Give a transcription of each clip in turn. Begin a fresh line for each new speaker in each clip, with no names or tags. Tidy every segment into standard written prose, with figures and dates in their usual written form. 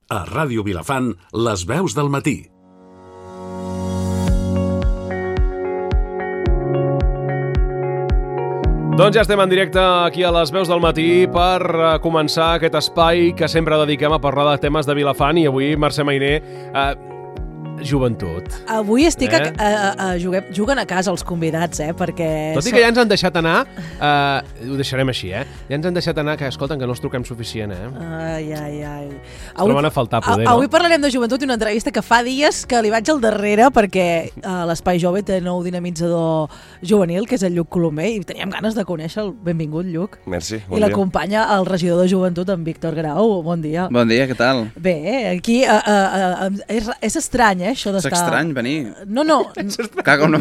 A Ràdio Vilafant, les veus del matí.
Doncs ja estem en directe aquí a les veus del matí per començar aquest espai que sempre dediquem a parlar de temes de Vilafant, i avui, Mercè Mainer, joventut.
Avui estic juguen a casa els convidats, perquè...
Tot i que ja ens han deixat anar, ho deixarem així, ja ens han deixat anar, que escolten, que no els truquem suficient,
Ai.
Es troben a faltar poder,
Avui parlarem de joventut i una entrevista que fa dies que li vaig al darrere perquè l'Espai Jove té nou dinamitzador juvenil, que és el Lluc Colomer, i teníem ganes de conèixer-lo. Benvingut, Lluc.
Merci, bon dia.
I l'acompanya el regidor de joventut, en Víctor Grau. Bon dia.
Bon dia, què tal?
Bé, aquí és estrany, això d'estar...
És estrany venir.
No.
Cago, no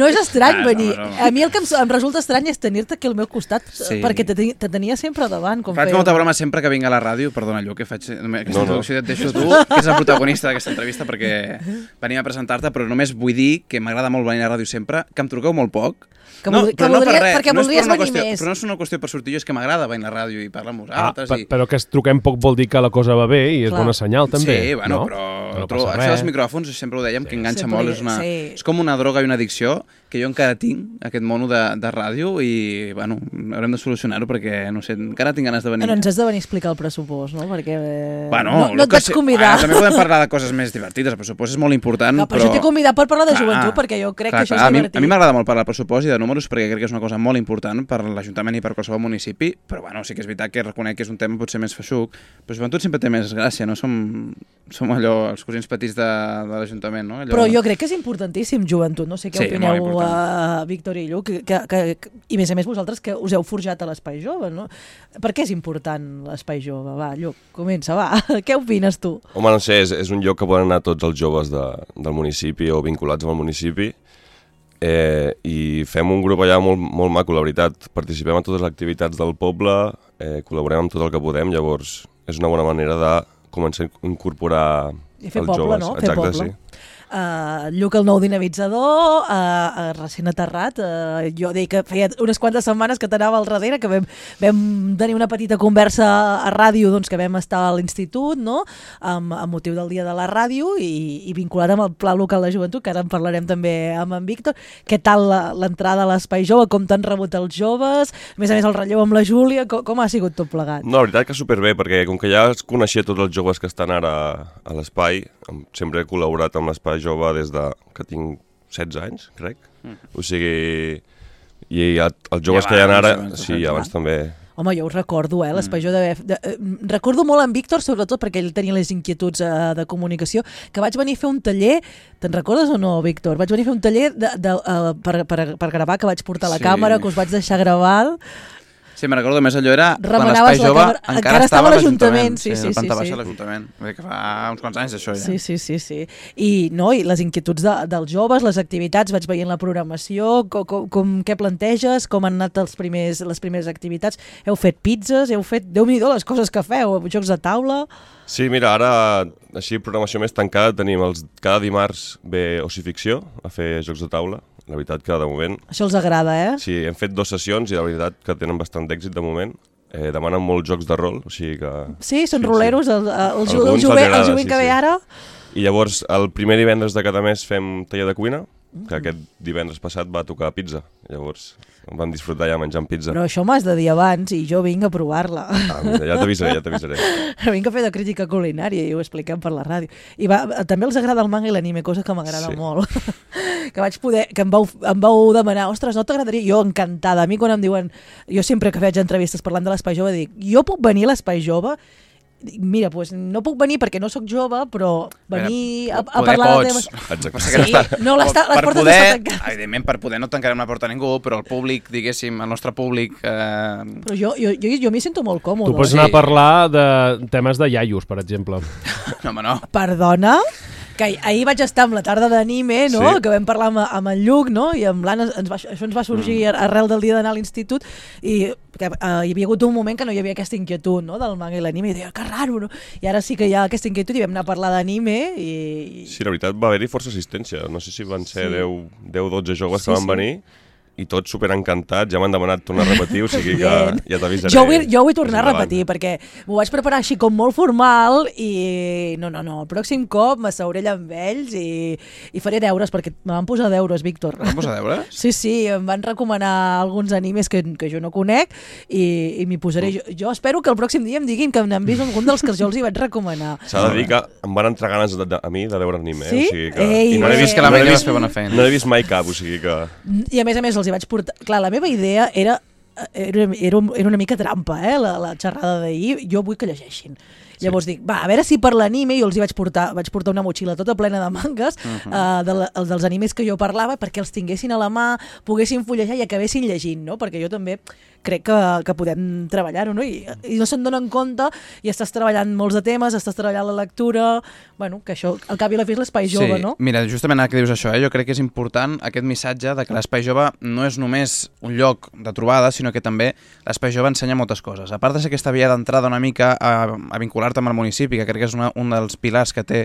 és estrany venir.
No.
A mi el que em resulta estrany és tenir-te aquí al meu costat, perquè te tenia sempre davant.
Faig molta broma sempre que vinc a la ràdio, perdona, Lluc, que faig aquesta introducció, et deixo tu, que és el protagonista d'aquesta entrevista, perquè venim a presentar-te, però només vull dir que m'agrada molt venir a la ràdio sempre, que em truqueu molt poc.
Perquè voldries venir més.
Però no és una qüestió per sortir, és que m'agrada venir a la ràdio i parlar amb vosaltres.
Però que es truquem poc vol dir que la cosa va bé i és bona senyal, també.
Sí, bueno, però això dels micròfons, sempre ho dèiem, que enganxa molt. És com una droga i una addicció que jo encara tinc, aquest mono de ràdio, i, bueno, haurem de solucionar-ho perquè, no sé, encara tinc ganes de venir.
No ens has de venir a explicar el pressupost, no? Perquè
no
et vaig convidar.
També podem parlar de coses més divertides, el pressupost és molt important,
però... Jo t'he convidat per parlar de joventut, perquè jo crec que això és divertit.
A mi m'agrada molt parlar del pressupost i de números, perquè crec que és una cosa molt important per l'Ajuntament i per qualsevol municipi, però bueno, sí que és veritat que reconec que és un tema potser més feixuc, però joventut sempre té més gràcia, no? Som allò, els cosins petits de l'Ajuntament, no?
Però jo crec que és importantíssim joventut, no sé què opineu, Víctor i Lluc, i a més vosaltres que us heu forjat a l'Espai Jove, no? Per què és important l'Espai Jove? Va, Lluc, comença, va. Què opines tu?
Home, no sé, és un lloc que poden anar tots els joves del municipi o vinculats amb el municipi, i fem un grup allà molt maco, la veritat. Participem en totes les activitats del poble, col·laborem amb tot el que podem, llavors és una bona manera de començar a incorporar els joves.
No? Fer poble. Sí. Lluc, el nou dinamitzador, recent aterrat. Jo deia que feia unes quantes setmanes que t'anava al darrere, que vam tenir una petita conversa a ràdio, doncs, que vam estar a l'institut, no? Amb motiu del dia de la ràdio i vinculat amb el Pla Local de Joventut, que ara en parlarem també amb en Víctor. Què tal l'entrada a l'Espai Jove? Com t'han rebut els joves? A més el relleu amb la Júlia, com ha sigut tot plegat?
No, la veritat que superbé, perquè com que ja es coneixia tots els joves que estan ara a l'espai, sempre he col·laborat amb l'Espai Jove des que tinc 16 anys, crec. O sigui, i els joves que hi ha ara... Sí, abans també.
Home, jo ho recordo, l'Espai Jove recordo molt en Víctor, sobretot perquè ell tenia les inquietuds de comunicació, que vaig venir a fer un taller, te'n recordes o no, Víctor? Vaig venir a fer un taller per gravar, que vaig portar la càmera, que us vaig deixar gravar...
Sí, me'n recordo, més allò era quan l'Espai Jove encara estava a l'Ajuntament.
Sí.
La planta baixa de l'Ajuntament. Que fa uns quants anys, això, ja.
Sí. I les inquietuds dels joves, les activitats, vaig veient la programació, què planteges, com han anat les primeres activitats. Heu fet pizzas, heu fet, Déu-n'hi-do, les coses que feu, jocs de taula...
Sí, mira, ara, així, programació més tancada, tenim cada dimarts ve Ocificció a fer jocs de taula. La veritat que de moment...
Això els agrada,
Sí, hem fet 2 sessions i la veritat que tenen bastant d'èxit de moment. Demanen molts jocs de rol, o sigui que...
Sí, són roleros, el jovent que ve ara.
I llavors, el primer divendres de cada mes fem taller de cuina, que aquest divendres passat va tocar pizza. Llavors vam disfrutar ja menjant pizza.
Però això m'has de dir abans i jo vinc a provar-la.
Ja t'avisaré.
Vinc a fer de crítica culinària i ho expliquem per la ràdio. I també els agrada el manga i l'anime, cosa que m'agrada molt. Que em vau demanar, ostres, no t'agradaria? Jo encantada. A mi quan em diuen, jo sempre que faig entrevistes parlant de l'Espai Jove dic, jo puc venir a l'Espai Jove? Mira, doncs no puc venir perquè no sóc jove, però venir a parlar de temes...
Exacte.
Sí, no, les portes no estan tancades.
Evidentment, per poder no tancarem la porta a ningú, però el públic, diguéssim, el nostre públic...
Però jo m'hi sento molt còmode.
Tu pots anar a parlar de temes de iaios, per exemple.
No, home, no.
Perdona? Que ahir vaig estar amb la tarda d'anime, no? Sí. Que vam parlar amb en Lluc, no? I amb l'Anna, això ens va sorgir arrel del dia d'anar a l'institut, i que hi havia hagut un moment que no hi havia aquesta inquietud, no? Del manga i l'anime, i deia, que raro, no? I ara sí que hi ha aquesta inquietud i vam anar a parlar d'anime i...
Sí, la veritat va haver-hi força assistència, no sé si van ser 10-12 joves que van venir, i tots superencantats, ja m'han demanat tornar a repetir, o sigui que ja t'avisaré.
Jo vull tornar a repetir, perquè m'ho vaig preparar així com molt formal i no, el pròxim cop m'asseuré allà amb ells i faré deures, perquè me van posar deures, Víctor.
Van posar deures?
Sí, em van recomanar alguns animes que jo no conec i m'hi posaré. Jo espero que el pròxim dia em diguin que n'han vist algun dels que jo els hi vaig recomanar.
S'ha de dir que em van entrar ganes a mi de veure anime,
sí?
O sigui que...
I
no he vist que la Maria va fer bona feina.
No he vist mai cap, o sigui que...
I a més els hi vaig portar... Clar, la meva idea era una mica trampa, la xerrada d'ahir. Jo vull que llegeixin. Llavors dic, a veure si per l'anime jo els hi vaig portar una motxilla tota plena de mangas dels animes que jo parlava perquè els tinguessin a la mà, poguessin fullejar i acabessin llegint, no? Perquè jo també crec que podem treballar-ho, no? I no se'n donen compte i estàs treballant molts de temes, estàs treballant la lectura, bueno, que això al cap i a la fi és l'espai jove, no?
Mira, justament ara que dius això, jo crec que és important aquest missatge de que l'espai jove no és només un lloc de trobada, sinó que també l'espai jove ensenya moltes coses. A part de ser aquesta via d'entrada una mica a vincular-te amb el municipi, que crec que és un dels pilars que té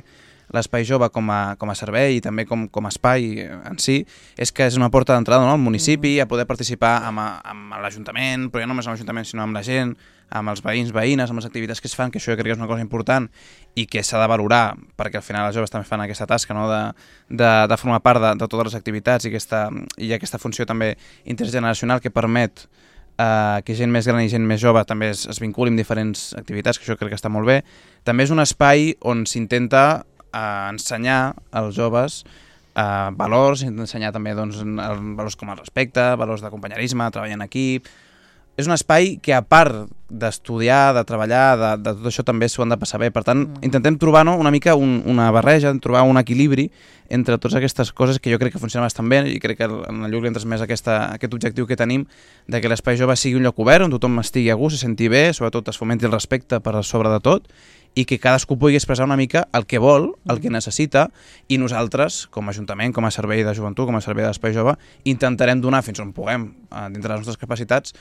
l'espai jove com a servei i també com a espai en si, és que és una porta d'entrada al municipi, a poder participar amb l'Ajuntament, però ja no només amb l'Ajuntament, sinó amb la gent, amb els veïns, veïnes, amb les activitats que es fan, que això jo crec que és una cosa important i que s'ha de valorar, perquè al final els joves també fan aquesta tasca, no? de formar part de totes les activitats i aquesta funció també intergeneracional que permet que gent més gran i gent més jove també es vinculi amb diferents activitats, que això crec que està molt bé. També és un espai on s'intenta ensenyar als joves valors, ensenyar també valors com el respecte, valors de companyerisme, treball en equip. És un espai que, a part d'estudiar, de treballar, de tot això també s'ho han de passar bé. Per tant, intentem trobar una mica una barreja, trobar un equilibri entre totes aquestes coses que jo crec que funcionen bastant bé i crec que en el Lluc li entres més aquest objectiu que tenim de que l'espai jove sigui un lloc obert on tothom estigui a gust, se senti bé, sobretot es fomenti el respecte per sobre de tot i que cadascú pugui expressar una mica el que vol, el que necessita, i nosaltres, com a Ajuntament, com a servei de joventut, com a servei de l'espai jove, intentarem donar fins on puguem, dintre les nostres capacitats,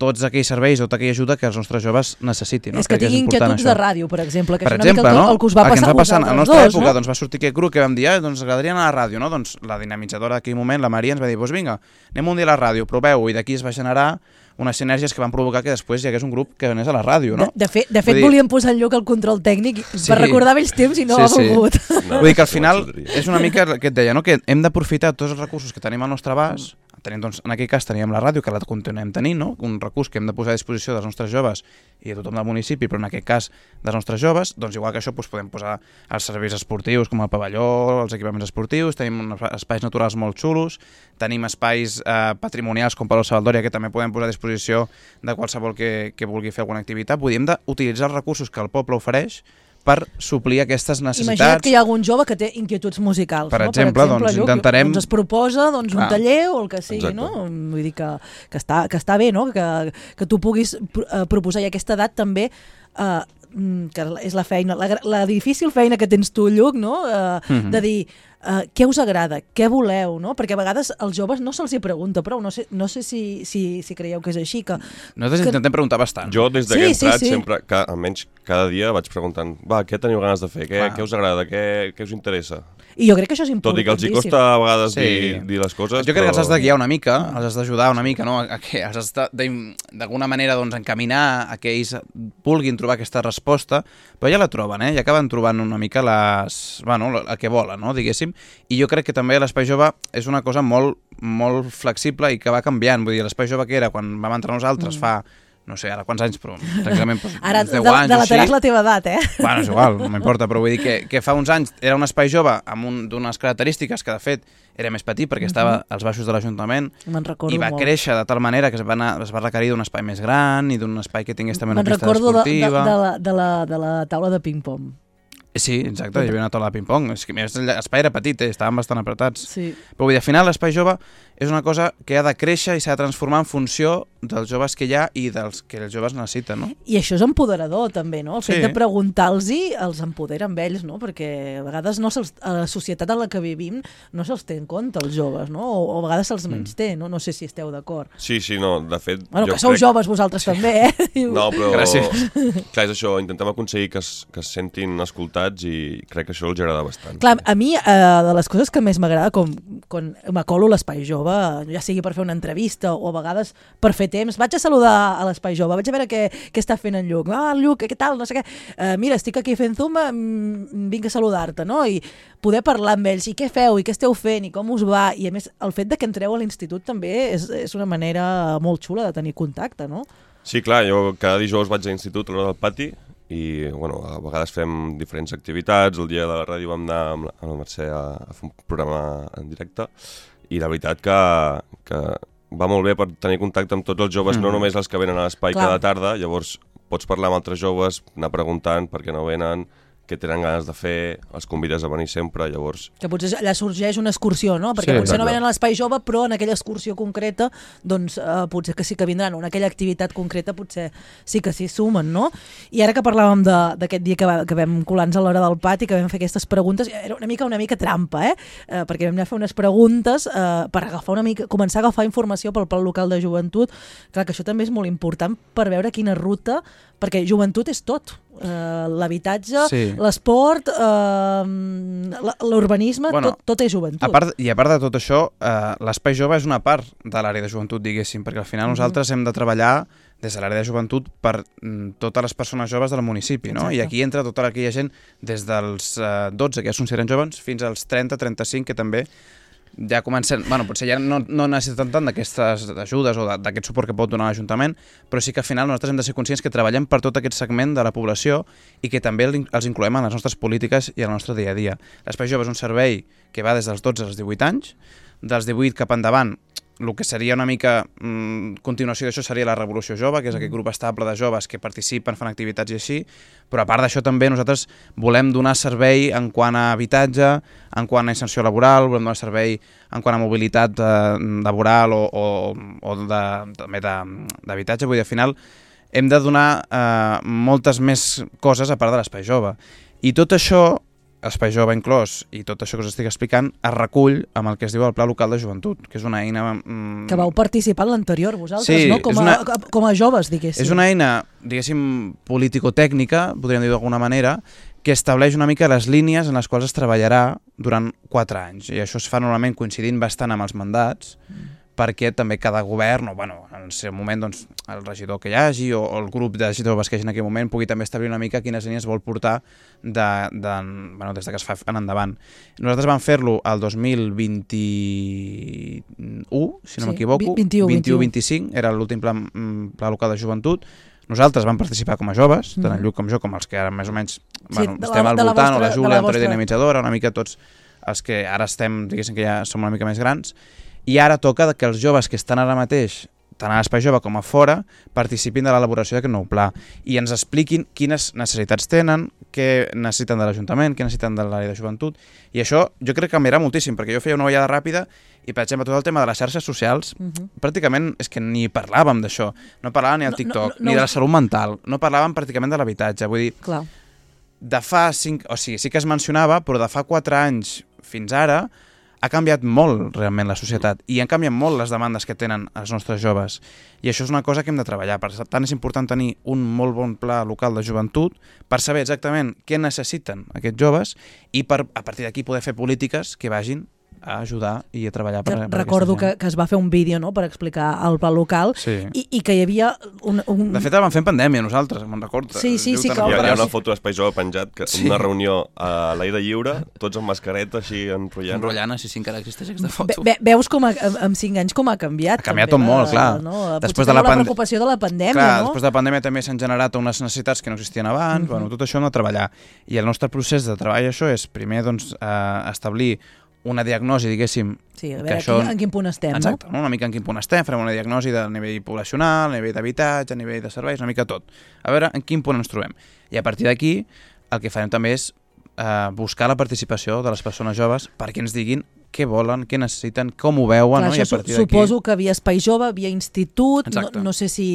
tots aquells serveis o tota aquella ajuda que els nostres joves necessitin. No?
És que tinguin inquietuds de ràdio, per exemple, que
per
és una mica el que us va passar a vosaltres.
A la nostra època va sortir aquest grup que vam dir, doncs agradaria anar a la ràdio, no? Doncs la dinamitzadora d'aquell moment, la Maria, ens va dir, doncs vinga, anem un dia a la ràdio, proveu, i d'aquí es va generar unes sinergies que van provocar que després hi hagués un grup que anés a la ràdio, no?
De fet volíem posar en lloc el control tècnic per recordar vells temps i no ha volgut.
No, vull dir que al final és una mica el que et deia, no? Que hem d'aprofitar tots els recursos que tenim al nostre abast. Doncs, en aquell cas teníem la ràdio, que la continuem tenint, no? Un recurs que hem de posar a disposició dels nostres joves i de tothom del municipi, però en aquest cas dels nostres joves, doncs igual que això podem posar els serveis esportius com el pavelló, els equipaments esportius, tenim espais naturals molt xulos, tenim espais patrimonials com Palau Savaldòria que també podem posar a disposició de qualsevol que vulgui fer alguna activitat. Vull dir, hem d'utilitzar els recursos que el poble ofereix per suplir aquestes necessitats.
Imagina't que hi ha algun jove que té inquietuds musicals.
Per exemple, doncs intentarem...
Doncs es proposa un taller o el que sigui, no? Vull dir que està bé, no? Que tu puguis proposar, i a aquesta edat també que és la feina, la difícil feina que tens tu, Lluc, no? De dir què us agrada, què voleu, no? Perquè a vegades als joves no se'ls hi pregunta prou, no sé si creieu que és així.
Nosaltres intentem preguntar bastant.
Jo des que he entrat sempre, almenys cada dia vaig preguntant, què teniu ganes de fer, què us agrada, què us interessa?
I jo crec que això és importantíssim.
Tot i que els hi costa a vegades dir les coses.
Jo crec que els has de guiar una mica, els has d'ajudar una mica, no? Els has d'alguna manera encaminar a que ells vulguin trobar aquesta resposta, però ja la troben, ja acaben trobant una mica el que volen, no? Diguéssim. I jo crec que també l'espai jove és una cosa molt, molt flexible i que va canviant. Vull dir, l'espai jove que era quan vam entrar nosaltres fa, no sé, ara quants anys, però exactament
ara,
10 anys
delataràs la teva edat,
Bueno, és igual, no m'importa, però vull dir que fa uns anys era un espai jove amb d'unes característiques que de fet era més petit perquè estava als baixos de l'Ajuntament i va créixer de tal manera que es va requerir d'un espai més gran i d'un espai que tingués també una pista esportiva.
Me'n recordo de la taula de ping-pong.
Sí, exacte, hi havia una taula de ping-pong. L'espai era petit, estaven bastant apretats.
Sí.
Però vull dir, al final l'espai jove és una cosa que ha de créixer i s'ha de transformar en funció dels joves que hi ha i dels que els joves necessiten, no?
I això és empoderador, també, no? El fet
Sí.
de preguntar-los els empodera amb ells, no? Perquè a vegades a la societat en la que vivim no se'ls té en compte, els joves, no? O a vegades se'ls menys té, no? No sé si esteu d'acord.
Sí, no, de fet...
Bueno, que sou joves vosaltres també, eh?
No, però...
Gràcies.
Clar, és això, intentem aconseguir que es sentin escoltats i crec que això els agrada bastant.
Clar, a mi, de les coses que més m'agrada, quan m'acolo a l'Espai Jove, ja sigui per fer una entrevista o a vegades per fer temps, vaig a saludar a l'Espai Jove, vaig a veure què està fent en Lluc. Ah, Lluc, què tal? No sé què. Mira, estic aquí fent Zoom, vinc a saludar-te, no? I poder parlar amb ells, i què feu, i què esteu fent, i com us va, i a més, el fet de que entreu a l'institut també és una manera molt xula de tenir contacte, no?
Sí, clar, jo cada dijous vaig a l'institut a l'hora del pati i bueno, a vegades fem diferents activitats. El dia de la ràdio vam anar amb la Mercè a fer un programa en directe i la veritat que va molt bé per tenir contacte amb tots els joves, no només els que venen a l'espai cada tarda, llavors pots parlar amb altres joves, anar preguntant per què no venen, què tenen ganes de fer, els convides a venir sempre, llavors...
Que potser allà sorgeix una excursió, no? Perquè potser no venen a l'Espai Jove, però en aquella excursió concreta, doncs potser que sí que vindran, o en aquella activitat concreta potser sí que s'hi sumen, no? I ara que parlàvem d'aquest dia que vam colar-nos a l'hora del pati, que vam fer aquestes preguntes, era una mica trampa, perquè vam anar a fer unes preguntes per començar a agafar informació pel Pla Local de Joventut. Clar, que això també és molt important per veure quina ruta, perquè joventut és tot. L'habitatge, l'esport, l'urbanisme, tot és joventut.
A part de tot això, l'Espai Jove és una part de l'àrea de joventut, diguéssim, perquè al final nosaltres hem de treballar des de l'àrea de joventut per totes les persones joves del municipi, no? I aquí entra tota aquella gent des dels 12, que ja són joves, fins als 30-35, que també ja comencen, bueno, potser ja no necessiten tant d'aquestes ajudes o d'aquest suport que pot donar l'Ajuntament, però sí que al final nosaltres hem de ser conscients que treballem per tot aquest segment de la població i que també els incloem en les nostres polítiques i en el nostre dia a dia. L'Espai Jove és un servei que va des dels 12 als 18 anys, dels 18 cap endavant. El que seria una mica continuació d'això seria la Revolució Jove, que és aquest grup estable de joves que participen, fan activitats i així, però a part d'això també nosaltres volem donar servei en quant a habitatge, en quant a inserció laboral, volem donar servei en quant a mobilitat laboral o també d'habitatge. Vull dir, al final hem de donar moltes més coses a part de l'Espai Jove. I tot això, Espai Jove inclòs, i tot això que us estic explicant, es recull amb el que es diu el Pla Local de Joventut, que és una eina...
Que vau participar en l'anterior, vosaltres,
sí,
no? Com a joves, diguéssim.
És una eina, diguéssim, político-tècnica, podríem dir d'alguna manera, que estableix una mica les línies en les quals es treballarà durant 4 anys. I això es fa normalment coincidint bastant amb els mandats, perquè també cada govern, o bueno, en el seu moment doncs, el regidor que hi hagi o el grup de joves que hi hagi en aquell moment pugui també establir una mica quines línies vol portar des que es fa en endavant. Nosaltres vam fer-lo el 2021, si no m'equivoco, 21-25, era l'últim pla local de joventut. Nosaltres vam participar com a joves, tant en Lluc com jo, com els que ara més o menys estem al voltant, o la Júlia, l'Antonio Dinamitzadora, una mica tots els que ara estem, diguéssim que ja som una mica més grans. I ara toca que els joves que estan ara mateix, tant a l'Espai Jove com a fora, participin de l'elaboració d'aquest nou pla i ens expliquin quines necessitats tenen, què necessiten de l'Ajuntament, què necessiten de l'àrea de joventut. I això jo crec que canviarà moltíssim, perquè jo feia una ullada ràpida i, per exemple, tot el tema de les xarxes socials, pràcticament és que ni parlàvem d'això. No parlàvem ni al TikTok, ni de la salut mental, no parlàvem pràcticament de l'habitatge. Vull dir, de fa 5... O sigui, sí que es mencionava, però de fa 4 anys fins ara ha canviat molt realment la societat i han canviat molt les demandes que tenen els nostres joves. I això és una cosa que hem de treballar. Per tant, és important tenir un molt bon pla local de joventut per saber exactament què necessiten aquests joves i a partir d'aquí poder fer polítiques que vagin a ajudar i a treballar per aquesta gent.
Recordo que es va fer un vídeo, no?, per explicar el pla local i que hi havia
De fet, el vam fer en pandèmia nosaltres, me'n recordo.
Sí,
hi ha una foto d'Espai Jove penjat, una reunió a l'aire lliure, tots amb mascareta, així enrotllant.
Enrotllant, sí, encara existeix aquesta foto.
Veus com amb 5 anys com ha canviat.
Ha canviat tot molt, clar.
Després de la preocupació de la pandèmia, no?
Després de la pandèmia també s'han generat unes necessitats que no existien abans, tot això hem de treballar. I el nostre procés de treball això és primer establir una diagnosi, diguéssim...
Sí, a veure en quin punt estem,
exacte, no? Una mica en quin punt estem, farem una diagnosi del nivell poblacional, a nivell d'habitatge, a nivell de serveis, una mica tot. A veure en quin punt ens trobem. I a partir d'aquí el que farem també és buscar la participació de les persones joves perquè ens diguin què volen, què necessiten, com ho veuen,
clar,
no? I a partir d'aquí...
Suposo que havia espai jove, havia institut, no sé si...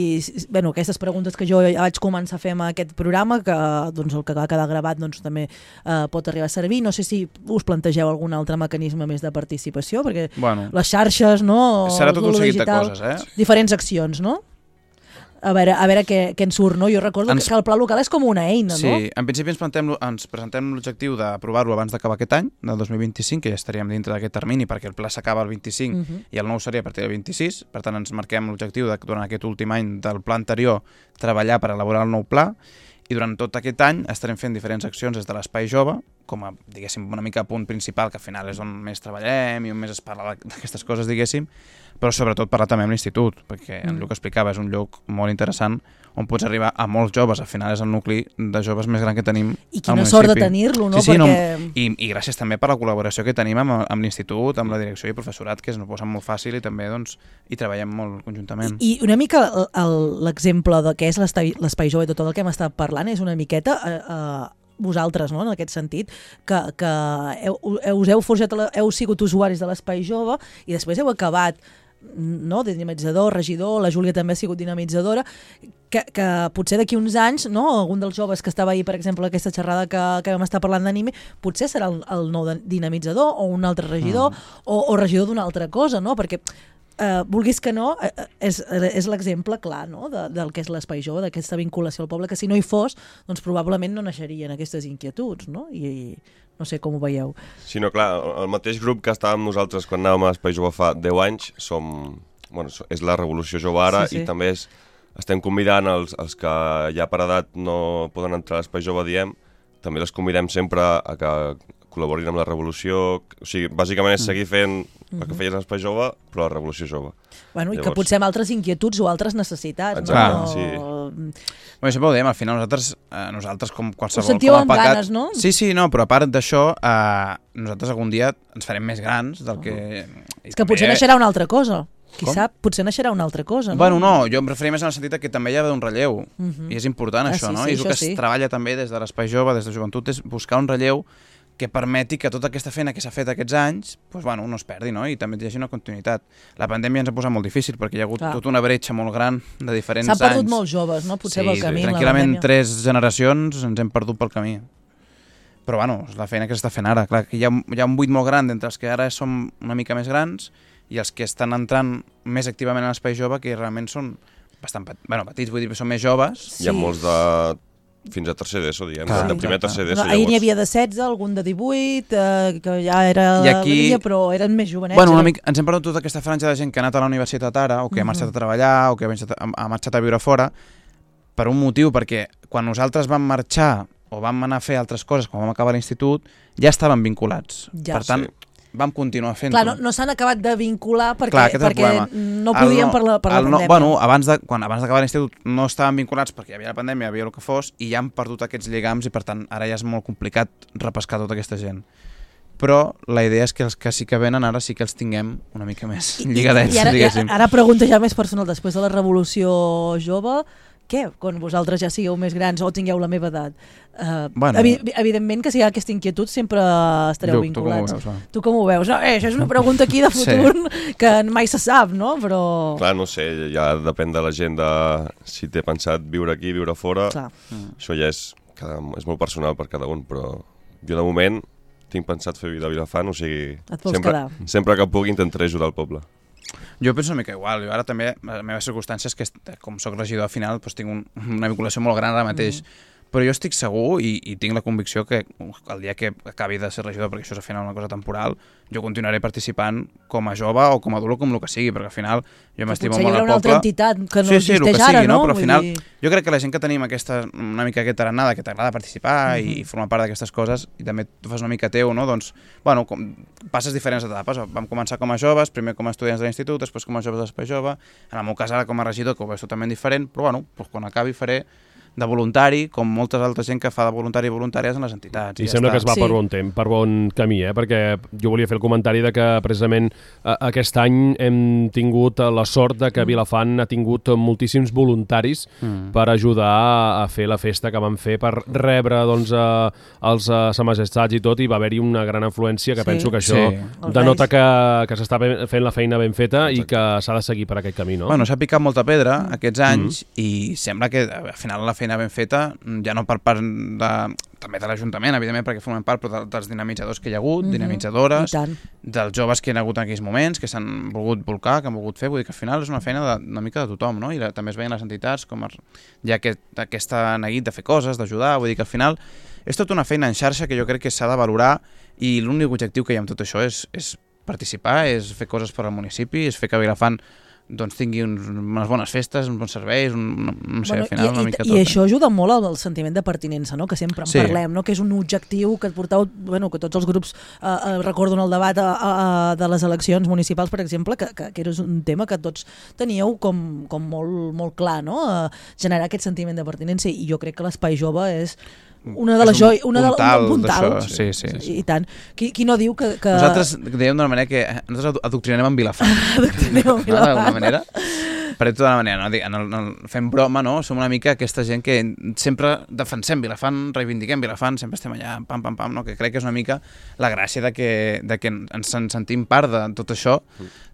Bueno, aquestes preguntes que jo vaig començar a fer amb aquest programa, que doncs, el que va quedar gravat doncs, també pot arribar a servir. No sé si us plantegeu algun altre mecanisme més de participació, perquè les xarxes, no?
Serà tot un seguit de coses,
diferents accions, no? A veure què en surt, no? Jo recordo que el pla local és com una eina, no?
Sí, en principi ens presentem l'objectiu d'aprovar-lo abans d'acabar aquest any, del 2025, que ja estaríem dintre d'aquest termini, perquè el pla s'acaba el 25 i el nou seria a partir del 26, per tant ens marquem l'objectiu de, durant aquest últim any del pla anterior, treballar per elaborar el nou pla, i durant tot aquest any estarem fent diferents accions des de l'Espai Jove, com a, diguéssim, una mica punt principal, que al final és on més treballem i on més es parla d'aquestes coses, diguéssim, però sobretot parlar també amb l'institut, perquè el que explicava és un lloc molt interessant on pots arribar a molts joves, al final és el nucli de joves més gran que tenim al municipi.
I quina sort de tenir-lo, no?
Sí, perquè... I gràcies també per la col·laboració que tenim amb l'institut, amb la direcció i el professorat, que ens ho posen molt fàcil i també doncs, hi treballem molt conjuntament.
I una mica l'exemple de què és l'Espai Jove i tot el que hem estat parlant és una miqueta... vosaltres, no?, en aquest sentit, que heu sigut usuaris de l'Espai Jove i després heu acabat, no?, de dinamitzador, regidor, la Júlia també ha sigut dinamitzadora, que potser d'aquí uns anys, no?, algun dels joves que estava ahir, per exemple, aquesta xerrada que vam estar parlant d'anime, potser serà el nou dinamitzador o un altre regidor o regidor d'una altra cosa, no?, perquè vulguis que no, és l'exemple clar, no?, del que és l'Espai Jove, d'aquesta vinculació al poble, que si no hi fos, doncs probablement no naixerien aquestes inquietuds, no? I no sé com ho veieu.
Sí, no, clar, el mateix grup que estàvem nosaltres quan anàvem a l'Espai Jove fa 10 anys, és la Revolució Jove ara, i també estem convidant els que ja per edat no poden entrar a l'Espai Jove, diem, també els convidem sempre a que col·laborin amb la Revolució, o sigui, bàsicament és seguir fent el que feies a l'Espai Jove, però la Revolució Jove.
Bueno, i que potser amb altres inquietuds o altres necessitats.
Exacte,
no?
Sí.
Bueno, sempre ho diem, al final nosaltres com qualsevol...
Us sentiu amb ganes, no?
Sí, no, però a part d'això, nosaltres algun dia ens farem més grans del que...
És que potser naixerà una altra cosa. Qui sap, potser naixerà una altra cosa, no?
Bueno, no, jo em referia més en el sentit que també hi ha d'haver un relleu, i és important això, no? I és el que es treballa també des de l'Espai Jove, des de Joventut, és buscar un relleu que permeti que tota aquesta feina que s'ha fet aquests anys no es perdi, no? I també hi hagi una continuïtat. La pandèmia ens ha posat molt difícil perquè hi ha hagut tota una bretxa molt gran de diferents anys.
S'han perdut molts joves, no? Potser pel camí.
Tranquil·lament 3 generacions ens hem perdut pel camí. Però és la feina que s'està fent ara. Clar, que hi ha un buit molt gran entre els que ara som una mica més grans i els que estan entrant més activament a l'Espai Jove, que realment són bastant petits, vull dir que són més joves.
Hi ha molts de... fins a tercer d'ESO, diguem, de primer a tercer d'ESO.
Ahir n'hi havia de 16, algun de 18, que ja era la línia, però eren més jovenets.
Bueno, ens hem perdut tota aquesta franja de gent que ha anat a la universitat ara, o que ha marxat a treballar, o que ha marxat a viure fora, per un motiu, perquè quan nosaltres vam marxar o vam anar a fer altres coses, quan vam acabar l'institut, ja estaven vinculats. Per tant, vam continuar fent-ho.
Clar, no s'han acabat de vincular perquè no podien per la pandèmia.
Bueno, abans d'acabar l'institut no estaven vinculats perquè hi havia la pandèmia, hi havia el que fos, i ja han perdut aquests lligams i per tant ara ja és molt complicat repescar tota aquesta gent. Però la idea és que els que sí que venen ara sí que els tinguem una mica més lligadets, diguéssim.
I ara pregunta ja més personal, després de la Revolució Jove, què? Quan vosaltres ja sigueu més grans o tingueu la meva edat. Evidentment que si hi ha aquesta inquietud sempre estareu vinculats. Tu com ho veus? No, això és una pregunta aquí de futur que mai se sap, no? Però...
Clar, no sé, ja depèn de la gent de si té pensat viure aquí, viure fora. Això ja és molt personal per cada un, però jo de moment tinc pensat fer vida a Vilafant, o sigui, sempre que pugui intentaré ajudar el poble.
Jo penso una mica igual, jo ara també, les meves circumstàncies, que com soc regidor al final, doncs tinc una vinculació molt gran ara mateix, però jo estic segur i tinc la convicció que el dia que acabi de ser regidor, perquè això és al final una cosa temporal, jo continuaré participant com a jove o com a adult o com el que sigui, perquè al final jo m'estimo molt al poble.
Potser hi haurà una altra entitat que no existeix ara, no?
Però al final jo crec que la gent que tenim una mica aquesta arenada, que t'agrada participar i formar part d'aquestes coses, i també tu fas una mica teu, no? Doncs, passes diferents etapes. Vam començar com a joves, primer com a estudiants de l'institut, després com a joves de l'Espai Jove, en el meu cas ara com a regidor, que ho veus totalment diferent, però quan acabi faré de voluntari, com molta altra gent que fa de voluntari i voluntàries en les entitats.
I sembla que es va per bon camí, perquè jo volia fer el comentari de que precisament aquest any hem tingut la sort de que Vilafant ha tingut moltíssims voluntaris per ajudar a fer la festa que van fer, per rebre doncs, els Sa Majestats i tot, i va haver-hi una gran afluència que penso que això denota que s'està fent la feina ben feta i que s'ha de seguir per aquest camí, no?
Bueno, s'ha picat molta pedra aquests anys i sembla que al final la feina ben feta, ja no per part també de l'Ajuntament, evidentment, perquè formen part, però dels dinamitzadors que hi ha hagut, dinamitzadores, dels joves que hi ha hagut en aquells moments, que s'han volgut volcar, que han volgut fer, vull dir que al final és una feina una mica de tothom, no? I també es veien les entitats com hi ha aquesta neguit de fer coses, d'ajudar, vull dir que al final és tota una feina en xarxa que jo crec que s'ha de valorar i l'únic objectiu que hi ha amb tot això és participar, és fer coses per al municipi, és fer que Vilafant tingui unes bones festes, uns bons serveis, no sé, al final una mica tot.
I això ajuda molt al sentiment de pertinença, no? Que sempre en parlem, no? Que és un objectiu que porteu, que tots els grups recordo en el debat de les eleccions municipals, per exemple, que era un tema que tots teníeu com molt clar, no? Generar aquest sentiment de pertinença, i jo crec que l'Espai Jove és una de les joies, un puntal,
sí.
I tant. Qui no diu que...
Nosaltres dèiem d'una manera que nosaltres adoctrinem en Vilafant. D'alguna manera. Per tota manera, no? Fem broma, no? Som una mica aquesta gent que sempre defensem Vilafant, reivindiquem Vilafant, sempre estem allà, pam, no? Que crec que és una mica la gràcia de que ens sentim part de tot això,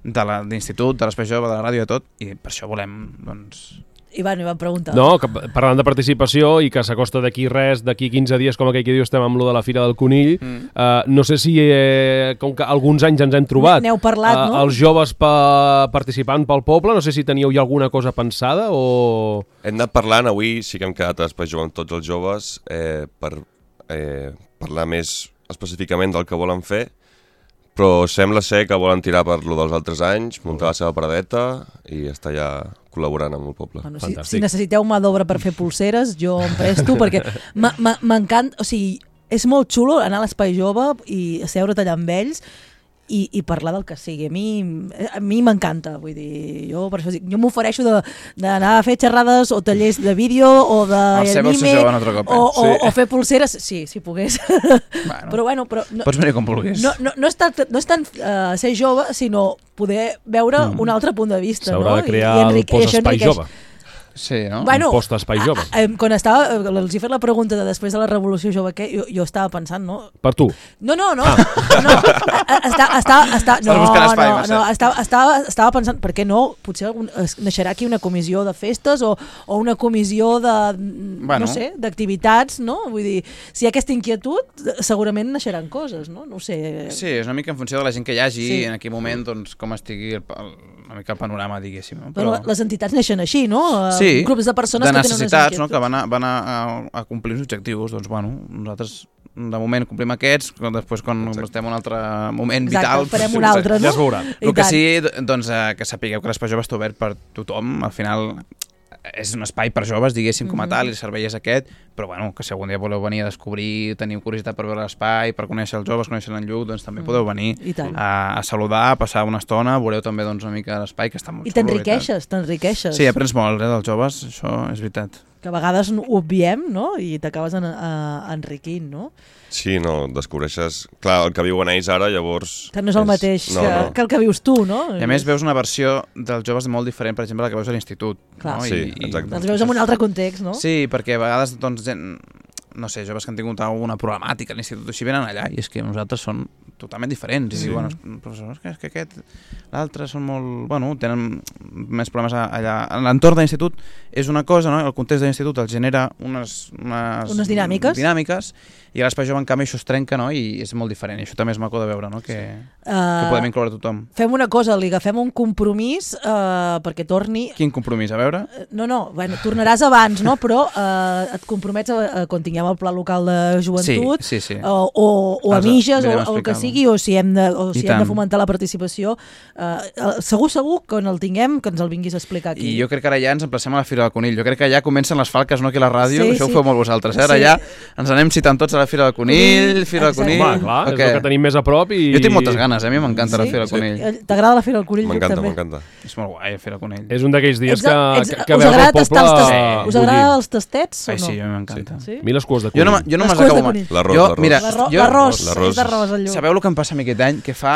de l'institut, de l'Espai Jove, de la ràdio i de tot, i per això volem, doncs...
Ivan, em va preguntar.
No, que parlant de participació i que s'acosta d'aquí 15 dies, com aquell que diu, estem amb lo de la Fira del Conill, no sé si, com que alguns anys ens hem trobat,
n'heu parlat, no?
Els joves participant pel poble, no sé si teníeu ja alguna cosa pensada o...
Hem anat parlant, avui sí que hem quedat a l'Espai Jove amb tots els joves per parlar més específicament del que volen fer, però sembla ser que volen tirar per lo dels altres anys, muntar la seva paradeta i estar ja col·laborant amb el poble.
Bueno, si necessiteu mà d'obra per fer pulseres, jo em presto, perquè m'encanta, o sigui, és molt xulo anar a l'Espai Jove i asseure't allà amb ells i parlar del que sigui. A mi m'encanta, vull dir, jo per això dic, jo m'ofereixo d'anar a fer xerrades o tallers de vídeo o d'anime o fer pulseres, sí, si pogués. Però bueno,
pots venir com vulguis.
No és tant ser jove, sinó poder veure un altre punt de vista.
S'haurà de crear el post-espai jove.
Sí, no?
Bueno,
un post-espai jove.
Quan els he fet la pregunta de després de la Revolució Jove, què? Jo estava pensant, no?
Per tu?
No. Estava pensant, per què no? Potser naixerà aquí una comissió de festes o una comissió de, no sé, d'activitats, no? Vull dir, si hi ha aquesta inquietud, segurament naixeran coses, no? No ho sé.
Sí, és una mica en funció de la gent que hi hagi i en aquell moment, doncs, com estigui una mica el panorama, diguéssim.
Però les entitats neixen així, no?
Sí,
grups de persones
de
que tenen
necessitats, no? Que van a complir uns objectius. Doncs, bueno, nosaltres de moment complim aquests, després quan estem en un altre moment vital...
Farem un altre, no?
Ja es veurà.
El que sí, doncs, que sapigueu que l'Espai Jove està obert per tothom. Al final és un espai per joves, diguéssim, com a tal, i el servei és aquest, però bueno, que si algun dia voleu venir a descobrir, teniu curiositat per veure l'espai, per conèixer els joves, conèixer en Lluc, doncs també podeu venir a saludar, a passar una estona, veureu també doncs, una mica l'espai, que està molt xulo.
I t'enriqueixes.
Sí, aprens molt dels joves, això és veritat.
Que a vegades ho obviem, no? I t'acabes enriquint, no?
Sí, no, descobreixes... Clar, el que viuen ells ara, llavors...
Que no és el mateix que el que vius tu, no?
I a més veus una versió dels joves molt diferent, per exemple, la que veus a l'institut.
Clar,
no? Sí, exacte.
Els veus en un altre context, no?
Sí, perquè a vegades, doncs, no sé, joves que han tingut alguna problemàtica a l'institut, així venen allà, i és que nosaltres són totalment diferents. I diuen, professors, és que aquest, l'altre són molt... Bueno, tenen més problemes allà. L'entorn de l'institut és una cosa, no? El context de l'institut els genera unes dinàmiques, i a l'Espai Jove, en canvi, això es trenca, no? I és molt diferent. I això també és maco de veure, no? Que podem incloure tothom.
Fem una cosa, li agafem un compromís perquè torni...
Quin compromís? A veure?
No, bueno, tornaràs abans, no? Però et compromets quan tinguem anirem al Pla Local de Joventut,
sí.
o a Miges, o el que sigui, o si hem de fomentar la participació. Segur que on el tinguem, que ens el vinguis a explicar aquí.
I jo crec que ara ja ens emplacem a la Fira del Conill. Jo crec que ja comencen les falques, no aquí a la ràdio,
Sí,
això
sí.
ho feu molt vosaltres. Ara ja ens anem citant tots a la Fira del Conill, Fira del Conill...
Home, clar, és el que tenim més a prop i...
Jo tinc moltes ganes, a mi m'encanta la Fira del Conill.
T'agrada la Fira del Conill?
M'encanta.
És molt guai, la Fira del Conill.
És un d'aquells dies que
Us
veus el
agrada
poble
tastar
bullir.
us agrada els tastets o
Ai,
no?
sí, a mi m'encanta.
Sí?
A mi les cues de
Jo no
conill.
me
Les
les
cues de
acabo mai.
conill.
L'arròs.
Mira,
L'arròs,
l'arròs.
és d'arròs el lloc.
Sabeu el que em passa a mi aquest any? Que fa,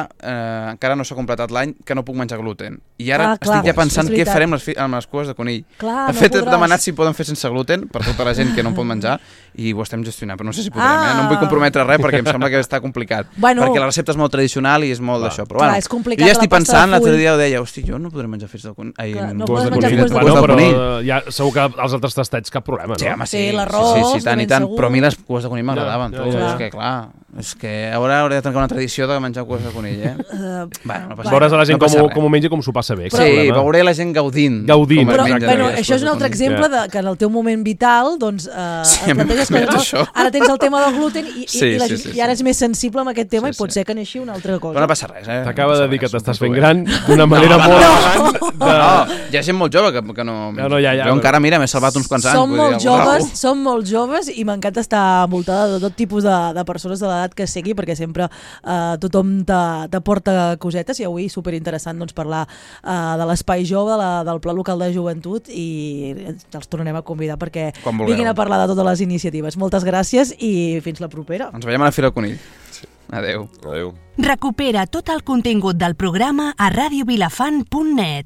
encara no s'ha completat l'any, que no puc menjar gluten. I ara
Clar,
estic ja pensant
és
què
veritat.
farem amb les cues de conill.
Clar,
De
no
fet, he
podràs.
demanat si poden fer sense gluten per tota la gent que no en pot menjar i ho estem gestionant, però no sé si podrem, No em vull comprometre res perquè em sembla que està complicat.
Bueno.
Perquè la recepta és molt tradicional i és molt d'això. Però
Clar,
bueno,
és complicat
jo ja
la
estic
pasta de
pensant, l'altre
full.
dia ho deia, hosti, jo no podré menjar fets de conill.
Clar, no
Cues de
podes menjar
conill.
cues de
Cues
Bueno,
de
però
conill.
ja, segur que els altres tastets cap problema, no?
Sí, home,
Sí, l'arròs,
sí, tant
de
i
ben
tant.
segur.
Però a mi les cues de conill m'agradaven.
Ja,
tu.
ja.
És que, clar, és que ara hauré de trencar una tradició de menjar cues de conill, Bueno, no passa
Veuràs a la gent
no passa res.
com ho menja i com s'ho passa bé. cap
Sí,
problema.
veuré la gent gaudint.
Gaudint,
com es
Però,
mengen
bueno,
aquelles
això és
cues
un
de
altre
conill.
exemple de que en el teu moment vital doncs,
Sí,
et planteges
m'he
que
això.
ara tens el tema del gluten i,
Sí,
i, la
sí,
gent,
sí,
i ara
sí.
és més sensible amb aquest tema
Sí,
i pot
sí.
ser que neixi una altra cosa.
Però no passa res,
T'acaba
No
de
passa
dir que
res,
t'estàs
ho
fent
porto
gran
bé.
d'una manera molt gran.
No, hi ha gent molt jove que no...
No, ja,
Jo encara, mira, m'he salvat uns quants anys.
Som
vull
molt
dir, alguna
joves,
cosa.
som molt joves i m'encanta estar envoltada de tot tipus de persones de l'edat que sigui, perquè sempre tothom t'aporta cosetes i avui superinteressant doncs, parlar de l'espai jove, del Pla Local de Joventut i els tornarem a convidar perquè
Quan vulgueu.
vinguin a parlar de totes les iniciatives. Moltes gràcies i fins la propera.
Ens veiem a la Fira del Conill. Adéu.
Adéu.
Recupera tot el contingut del programa a radiovilafant.net.